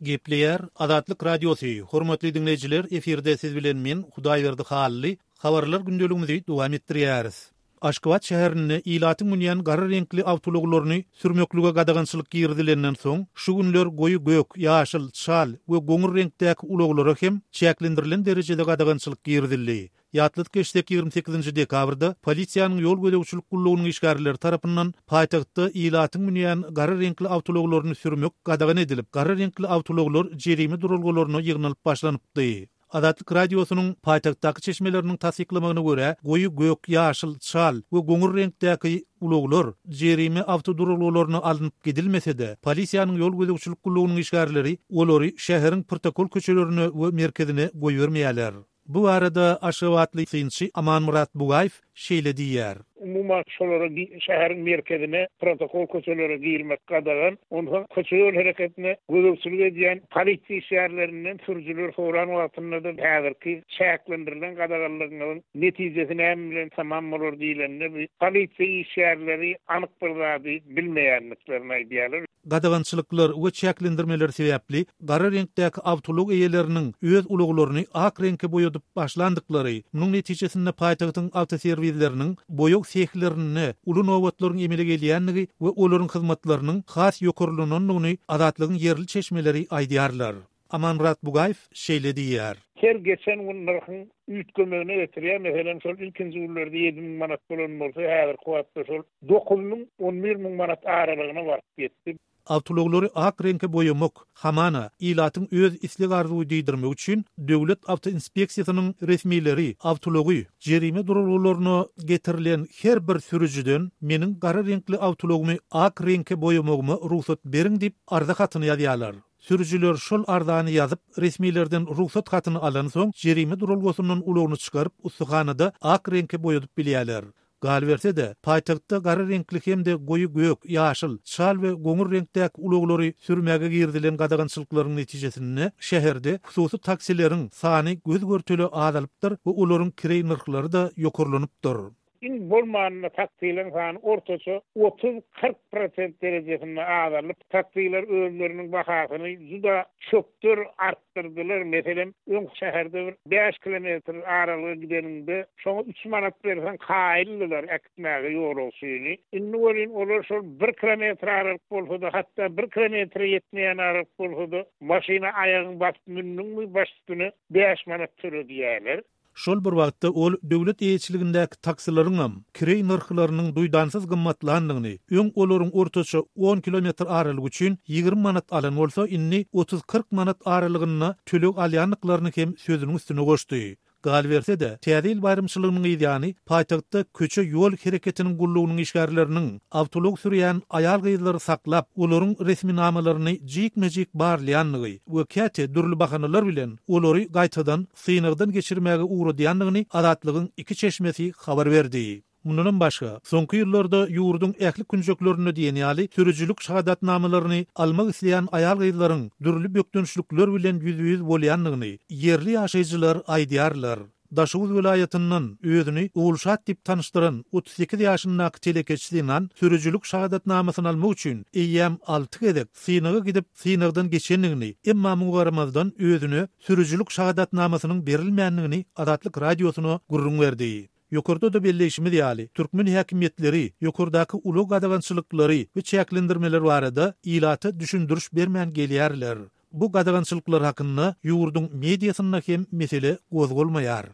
Gepleýär Azatlyk Radiosy, Hormatly diňleýjiler, efirde siz bilen men, Hudaýberdi Hally, Habarlar gündeligimizi dowam etdirýäris. Aşgabat şäherinde ilatyň münýän gara reňkli awtoulaglaryny sürmeklige gadagançylyk girizilenden soň, şu günler goýy gök, ýaşyl, çal we goňur reňkdäki ulaglara hem çäklendirilen derejede gadagançylyk girizildi. Ýatladyp geçsek, 28 nji dekabrda polisiýanyň ýol gözegçilik gullugynyň işgärleri tarapyndan paýtagtda ilatyň münýän gara reňkli awtoulaglaryny sürmek gadagan edilip, gara reňkli awtoulaglar jerime duralgalaryna ýygnalyp başlanypdy. Azatlyk Radiosynyň paýtagtdaky çeşmeleriniň tassyklamagyna görä, goýy gök, ýaşyl, çal we goňur reňkdäki ulaglar jerime awtoduralgalaryna alnyp gidilmese-de, polisiýanyň ýol gözegçilik gullugynyň işgärleri olary şäheriň protokol köçelerine we merkezine goýbermeýärler. Bu barada aşgabatly synçy Amanmyrat Bugaýew şeýle diýýär. Umuman, şolara şäheriň merkezine, protokol köçelere girmek gadagan. Onsoň köçe-ýol hereketine gözegçilik edýän polisiýa işgärlerinden sürüjiler soran wagtynda-da häzirki çäklendirilen gadaganlygyňyzyň netijesi näme bilen tamam bolar diýlende, bu polisiýa işgärleri anyk bir zady bilmeýändiklerini aýdýarlar. Gadagançylyklar we çäklendirmeler sebäpli gara reňkdäki awtoulag eýeleriniň öz ulaglaryny ak reňke boýadyp başlandyklary, munuň netijesinde paýtagtyň awtoserwisleriniň boýag sehlerinde uly nobatlaryň emele gelýändigi we olaryň hyzmatlarynyň has ýokarlanandygyny Azatlygyň ýerli çeşmeleri aýdýarlar. Amanmyrat Bugaýew şeýle diýýär. Her geçen gün nyrhyň üýtgemegine getirýär. Meselem, şol ilkinji günlerde 7000 manat bolan bolsa, häzirki wagtda şol 9000, 11000 manat aralygyna baryp ýetdi. Awtoulaglary ak reňke boýamak, hamana, ilatyň öz isleg-arzuwy diýdirmek üçin Döwlet awtoinspeksiýasynyň resmileri awtoulagy jerime duralgalaryna getirilen her bir sürüjiden meniň gara reňkli awtoulagymy ak reňke boýamagyma rugsat beriň diýip arza hatyny ýazýarlar. Sürüjiler şol arzany ýazyp, resmilerden rugsat hatyny alansoň, jerime duralgasyndan ulagyny çykaryp, ussahanada ak reňke boýadyp bilýärler. Galyberse-de, paýtagtda gara reňkli hem-de goýy gök, ýaşyl, çal we goňur reňkdäki ulaglary sürmäge girizilen gadagançylyklaryň netijesinde şäherde hususy taksileriň sany göz-görtele azalypdyr we olaryň kireý nyrhlary-da ýokarlanypdyr. Iň bolmanda taksileriň sany ortaça 30-40 prosent derejesinde azalyp, taksiler özleriniň bahasyny juda çökder artdyrdylar. Meselem, öň şäherde bir bäş kilometr aralyga gideniňde, şoňa üç manat berseň kaýyldylar äkitmäge ýolagçyny. Indi welin olar şol bir kilometr aralyk bolsa-da, hatda bir kilometre ýetmeýän aralyk bolsa-da, maşyna aýagyňy basyp mündüňmi, baş üstüne bäş manat töle diýýärler. Şol bir wagtda ol döwlet eýeçiligindäki taksilaryňam kireý nyrhlarynyň duýdansyz gymmatlandygyny, öň olaryň ortaça on kilometr aralyk üçin 20 manat alan bolsa, indi otuz-kyrk manat aralygynda töleg alýandyklaryny hem sözüniň üstüne goşdy. Galyberse-de, Täze ýyl baýramçylygynyň yzýany paýtagtda köçe-ýol hereketiniň gullugynyň işgärleriniň awtoulag sürýän aýal-gyzlary saklap, olaryň resminamalaryny jikme-jik barlaýandygy we käte dürli bahanalar bilen olary gaýtadan synagdan geçirmäge ugradýandygyny Azatlygyň iki çeşmesi habar berdi. Mundanam başga, soňky ýyllarda ýurduň ähli künjeklerinde diýen ýaly sürüjilik şahadatnamalaryny almak isleýän aýal-gyzlaryň dürli bökdençlikler bilen ýüzbe-ýüz bolýandygyny ýerli ýaşaýjylar aýdýarlar. Daşoguz welaýatyndan özüni Ogulşat diýip tanyşdyran 38 ýaşyndaky telekeçi zenan sürüjilik şahadatnamasyny almak üçin eýýäm alty gezek synaga gidip, synagdan geçendigini, emma muňa garamazdan özüne sürüjilik şahadatnamasynyň berilmändigini Azatlyk Radiosyna gürrüň berdi. Ýokarda-da belleýşimiz ýaly, türkmen häkimiýetleri ýokardaky ulag gadagançylyklary we çäklendirmeler barada ilata düşündiriş bermän gelýärler. Bu gadagançylyklar hakynda ýurduň mediasynda hem mesele gozgalmaýar.